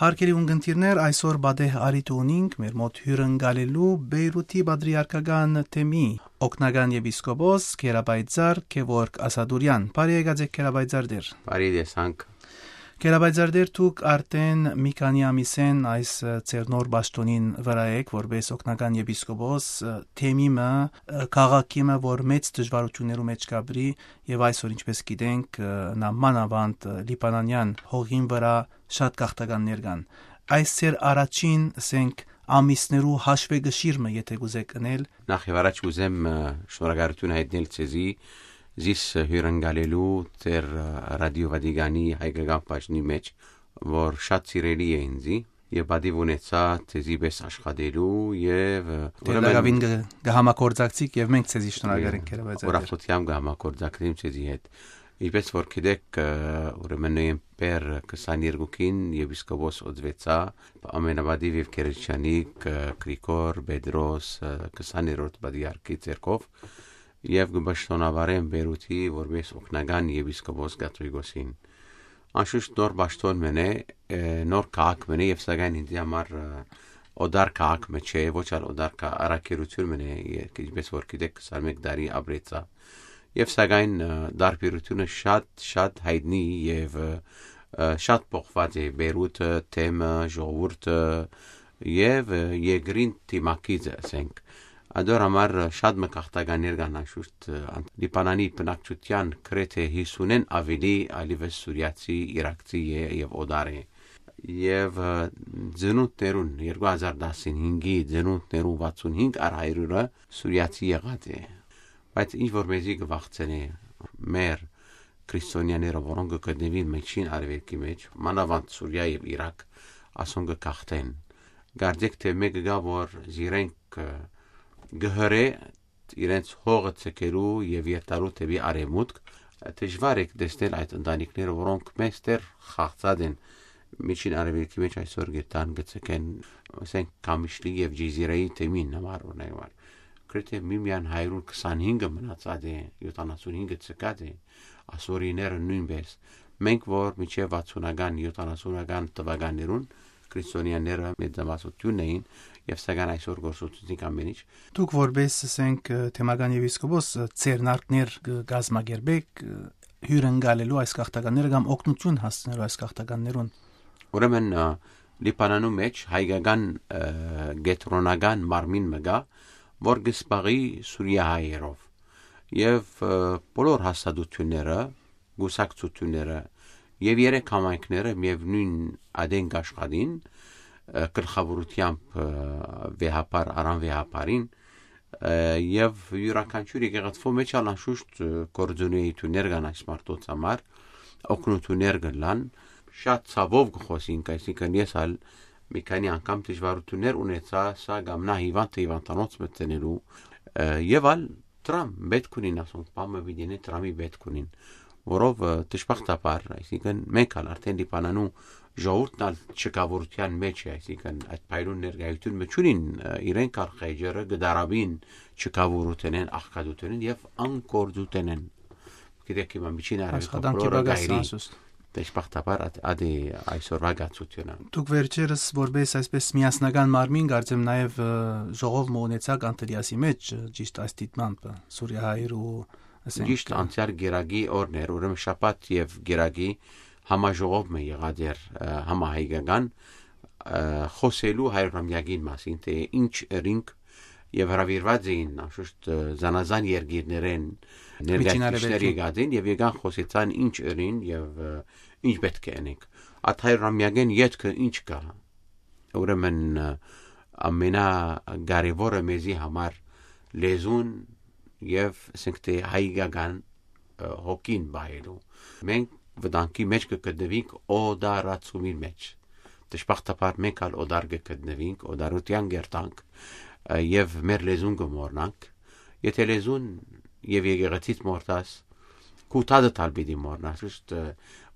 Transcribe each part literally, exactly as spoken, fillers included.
Արգելի ունգընտիրներ, այսօր պատեհ առիթ ունինք մեր մօտ հիւրընկալելու Բեյրութի պատրիարքական թեմի օգնական եպիսկոպոս Գերապայծառ Գեորգ Ասադուրեան։ Բարի եկած եք, Գերապայծառ Տէր։ Բարի տեսանք։ Գերապայծառ Տէր, դուք արդէն մի քանի ամիսէն այս, ը, ձեր նոր պաշտօնին վրայ եք, որպէս օգնական եպիսկոպոս, ը, թեմի մը, ը, քաղաքի մը, որ մեծ դժվարութիւններու մէջ կապրի, եւ այսօր, ինչպէս գիտենք, ը, նա մանաւանդ, ը, լիբանանեան հողին վրայ շատ գաղթականներ կան։ Այս ձեր առաջին, ասենք, ամիսներու հաշուեկշիռ մը, եթէ կուզէք ընել։ Նախ եւ առաջ կուզեմ, ը, շնորհակալութիւն յայտնել ձեզի, զիս, ը, հիւրընկալելու ձեր, ը, Ռադիո Վատիկանի հայկական բաժնի մէջ, որ շատ սիրելի է ինձի, եւ պատիւ ունեցայ ձեզի պէս աշխատելու եւ, ը, Դեր ուրեմն լագավին կը, կը համագործակցիք եւ մենք ձեզի շնորհակալ ենք, Գերապայծառ Տէր։ Ուրախութեամբ կը համագործակցեմ ձեզի հետ։ Ինչպէս որ գիտեք, ը, ուրեմն նոյեմբեր քսաներկուին եպիսկոպոս օծուեցայ, ամենապատիւ եւ գերեչանիկ, ը, Գրիգոր Պետրոս, ը, քսաներորդ պատրիարքի ձեռքով, եւ կը պաշտօնավարեմ Բեյրութի որպէս օգնական եպիսկոպոս կաթողիկոսին։ Անշուշտ նոր պաշտօն մըն է, ը, նոր քաղաք մըն է, եւ սակայն ինձի համար, ը, օտար քաղաք մը չէ, ոչ ալ օտար կա-, առաքելութիւն մըն է, ե-, ինչպէս որ գիտեք, քսանմէկ տարի ապրեցայ։ Եւ սակայն, ը, տարբերութիւնը շատ, շատ յայտնի եւ, ը, ը, շատ փոխուած է Բեյրութը, թեմը, ժողովուրդը եւ, ը, երկրին դիմագիծը, ասենք։ Ադոր համար, ը, շատ մը գաղթականներ կան անշուշտ, ը, ան-, Լիբանանի բնակչութեան գրեթէ յիսունէն աւելի ալիվը սուրիացի, իրաքցի է եւ օտար է։ Եւ, ը, ծնունդներուն, երկու հազար տասնհինգի ծնունդներուն վաթսուն հինգ առ հարիւրը սուրիացի եղած է։ Բայց ինչ որ մեզի կը վախցնէ, մեր քրիստոնեաները, որոնք կը գտնուին Միջին Արեւելքի մէջ, մանաւանդ Սուրիա եւ Իրաք, ասոնք կը գաղթեն։ Կարծեք թէ մէկը կայ, որ զիրենք, ը, կը հրէ իրենց հողը ձգելու եւ երթալու դէպի արեւմուտք, դժուար է տեսնել այդ ընտանիքները, որոնք մեծ դեր խաղացած են Միջին Արեւելքի մէջ, այսօր գերտան կը ձգեն, ասենք, Քամիշլի եւ Ջիզիրայի թեմին համար, օրինակ համար։ Գրեթէ միմիան հարիւր քսանհինգը մնացած է, յոթանասունհինգը ձգած է, ասորիները նոյնպէս։ Մենք որ մինչեւ վաթսունական, յոթանասունական թվականներուն քրիստոնեաները մեծամասնութիւնն էին, եւ սակայն այսօր գործունեացինք ամեն ինչ։ Դուք որպէս, ասենք, ը, թեմական եպիսկոպոս, ը, ձեռնարկներ կը կազմակերպէք, ը, հիւրընկալելու այս գաղթականները կամ օգնութիւն հասցնելու այս գաղթականներուն։ Ուրեմն, ը, Լիբանանու մէջ հայկական, ը, կեդրոնական մարմին մը կայ, որ կը զբաղի սուրիահայերով եւ, ը, բոլոր հաստատութիւնները, կուսակցութիւնները եւ երեք համայնքները միեւնոյն ատեն կ'աշխատին, ը, գլխաւորութեամբ, ը, վեհափառ Արամ վեհափառին, ը, եւ իւրաքանչիւր եկեղեցւոյ մէջ ալ անշուշտ, ը, գործունեութիւններ կան այս մարդոց համար, օգնութիւններ կ'ըլլան։ Շատ ցաւով կը խօսինք, այսինքն ես ալ մի քանի անգամ դժուարութիւններ ունեցայ, սա կամ նա հիվանդը հիվանդանոց մտցնելու, ը, եւ ալ դրամ պէտք ունին, ասոնք, բան մը պիտի ընեն, դրամի պէտք ունին, որով, ը, դժբախտաբար, այսինքն մենք ալ արդէն Լիբանանու ժողովուրդն ալ չքաւորութեան մէջ է, այսինքն այդ փայլուն ներկայութիւն մը չունին, ը, իրենք ալ խեճերը կը դարաբին չքաւորութենեն, աղքատութենեն եւ անկործութենեն։ Գիտեք, հիմա Միջին Արեւելքը Աշխատանքի բոլորը պակաս գայրի անսուստ։ Դժբախտաբար ատ-, ատի այսօրվա գացությունը։ Դուք վերջերս որպես այսպես միասնական մարմին, կարծեմ, նաև, ը, ժողով մը ունեցաք Անտելիասի մեջ, ը, ճիշտ այս դիտմամբ, ը, Սուրիահայերու, ասենք, Ճիշտ ը, անցյալ Կիրակի օրն էր, ուրեմն շաբաթ եւ Կիրակի համաժողով մը եղած էր, ը, համահայկական, ը, խօսելու հարիւրամեակին մասին, թէ ինչ ըրինք, եւ հրաւիրուած էին, անշուշտ, ը, զանազան երկիրներէն Միջին ներկայացուցիչներ Արեւելքի։ Եկած էին եւ եկան խօսեցան ինչ ըրին եւ, ը, ինչ պէտք է ընենք։ Այդ հարիւրամեակին ետքը ինչ կայ։ Ուրեմն, ը, ամենակարեւորը մեզի համար լեզուն եւ, ասենք թէ, հայկական, ը, հոգին պահելու։ Մենք վտանգի մեջ կը գտնուինք օտարացումի մեջ։ Դժբախտաբար մենք ալ օտար կը գտնվինք, օտարութեան կերտանք, ը, եւ մեր լեզուն կը մոռնանք։ Եթե լեզուն եւ եկեղեցիդ մոռնաս, քու թադդ ալ պիտի մոռնաս, ճիշտ, ը,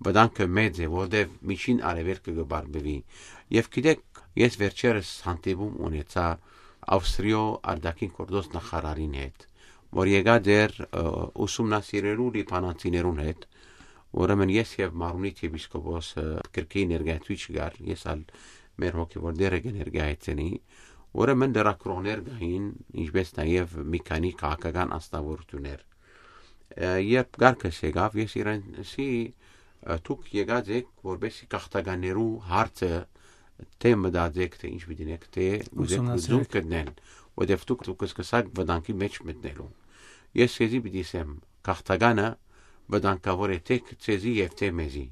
վտանգը մեծ է, որտեւ Միջին Արեւելքը կը բարբուի։ Եւ գիտեք, ես վերջերս հանդիպում ունեցայ Ավստրիոյ արտաքին գործոց նախարարին հետ, որ եկած էր, ը, ուսումնասիրելու լիբանանցիներուն հետ, Ուրեմն ես եւ Մարունիթ եպիսկոպոսը կրկին ներկայացուցիչ կար, ես ալ մեր հոգեւոր դերը կը ներկայացնի։ Ուրեմն լրագրողներ կային, ինչպես նաեւ մի քանի քաղաքական անձնավորություններ։ Ը, երբ կարգս եկաւ, ես իրենցի, ը, «Դուք եկած եք, որպեսզի գաղթականներու հարցը թե մտածեք, թե ինչ պիտի դինեք, թե ուզեք Ուսումնասիրեք։ Լուծում գտնել, որտեվ դուք, դուք կսկսաք վտանգի մեջ մտնելու»։ Ես քեզի պիտի ասեմ, գաղթականը վտանգավոր է թե ձեզի եւ թե մեզի։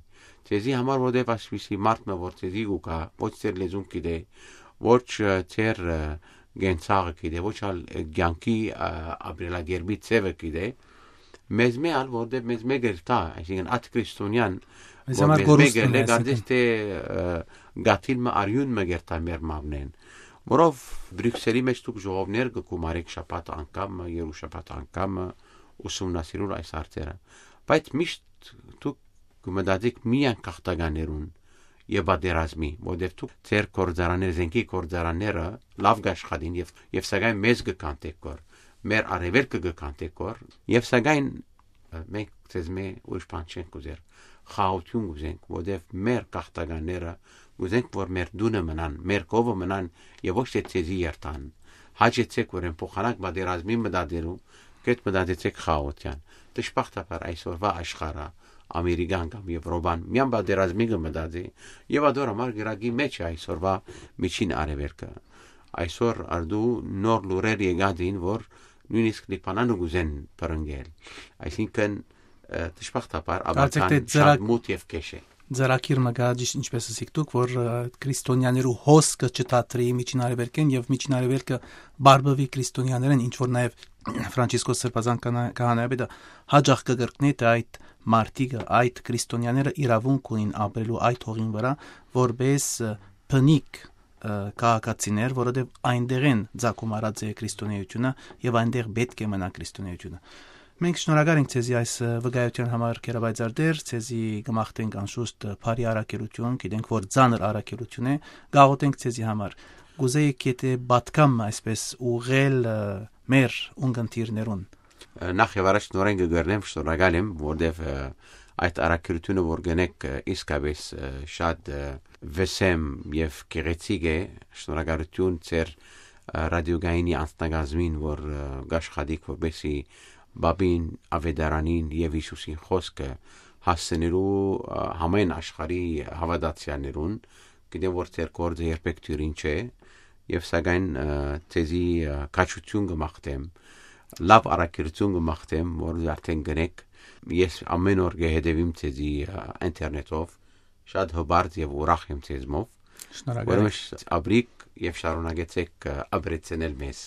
Ձեզի համար, որտեվ այսպիսի մարդ մը, որ ձեզի կու գայ, ոչ ձեր լեզուն գիտէ, ոչ, ը, ձեր, ը, կենցաղը գիտէ, ոչ ալ, ը, կյանքի, ը, ապրելակերպի ձևը գիտէ, մեզ մէ ալ, որտեվ մեզ մէ կերտա, այսինքն, այդ քրիստոնեան, Մեզ որ համար մեզ մէ կորուստ կերտէ, մնա, այսինքն։ Կարծես թե, ը, գաթիլ մը արիուն մը կերտա մեր մամնեն, որով Բրիքսելի մեջ դուք ժողովներ կը գումարեք շաբաթ անգամը, երու շաբաթ անգամը, ուսումնասիրուր այս հարցերը։ Բայց միշտ դուք կը մտածեք միայն գաղթականներուն եւ պատերազմի, որտեւ դուք ձեր գործարանները, զենքի գործարանները լաւ կաշխատին եւ, եւ սակայն մեզ կը կանտեք կոր, մեր արեւելքը կը կանտեք կոր, եւ սակայն, ը, մենք ձեզ մէ ուրիշ բան չենք ուզեր, խաղաղութիւն կուզենք, որտեւ մեր գաղթականները կուզենք, որ մեր տունը մնան, մեր կովը մնան եւ ոչ թե ձեզի երթան։ Հաճեցեք, որ են փոխանակ պատերազմի մտածելու, կետ մտածեցեք խաղաղութեան։ Դժբախտաբար այսօրվա աշխարհը, Ամերիկան կամ Եվրոպան միան պատերազմի կը մտածի, եւ ադոր համար գրագի մեջ է այսօրվա միջին արեւելքը։ Այսօր արդու նոր լուրեր եկած էին, որ նույնիսկ Լիբանանը կուզեն բռնկել։ Այսինքն, ը, դժբախտաբար Կարծեք աբական թե ձեռակ- շատ մութ եւ քեշ է։ Ձեռագիր մը կայ, ճիշտ ինչպես ասիք դուք, որ, ը, քրիստոնյաներու հոսքը չթատրի Միջին Արեւելքէն եւ Միջին Արեւելքը բարբուի քրիստոնյաներեն, ինչ որ նաեւ Ֆրանցիսկոս Սրբազան քահանա-, քահանայապետը հաճախ կը կրկնի, թե այդ մարդիկը, այդ քրիստոնյաները իրավունք ունին ապրելու այդ հողին վրա, որպես, ը, բնիկ, ը, քաղաքացիներ, որովհետեւ այնտեղէն ծագում առած է քրիստոնեությունը եւ այնտեղ պէտք է մնայ քրիստոնեությունը։ Մենք շնորհակալ ենք ձեզի այս, ը, վկայութեան համար, Գերաբայձարդեր, ձեզի կը մաղթենք անշուշտ, ը, բարի առաքելութիւն, գիտենք, որ ծանր առաքելութիւն է, կաղոթենք ձեզի համար։ Կուզեիք, եթե պատգամ, այսպես, ուղղել, ը, մեր ունգընտիրներուն։ Ը, նախ եւ առաջ նորեն կը գռնեմ, շնորհակալ եմ, որտեւ, ը, այդ առաքելութիւնը, որ գնեք, ը, իսկապես, ը, շատ, ը, վսեմ եւ գեղեցիկ է, շնորհակալութիւն ձեր, ը, ռադիոգայինի անձնակազմին, որ, ը, կաշխատիք, որպեսզի Բաբին, Ավետարանին եւ Յիսուսին խօսքը հասցնելու, ը, համայն աշխարհի հաւատացյալներուն, գիտեմ, որ ձեր գործը երբեք դիւրին չէ, եւ սակայն, ը, ձեզի, ը, քաջութիւն կը մաղթեմ, լաւ առաքելութիւն կը մաղթեմ, որ արդեն գնեք, ես ամեն օր կը հետեւիմ ձեզի, ը, ինտերնետով, շատ հպարտ եւ ուրախ եմ ձեզմով, Շնորհակալ ուրեմն ենք։ Շ-, ապրիք եւ շարունակեցեք, ը, ապրեցնել մեզ։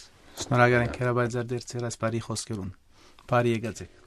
Շնորհակալ ենք, Գերաբայձարդեր, ձեր այս բարի խօսքերուն։ Բարի եկած եք։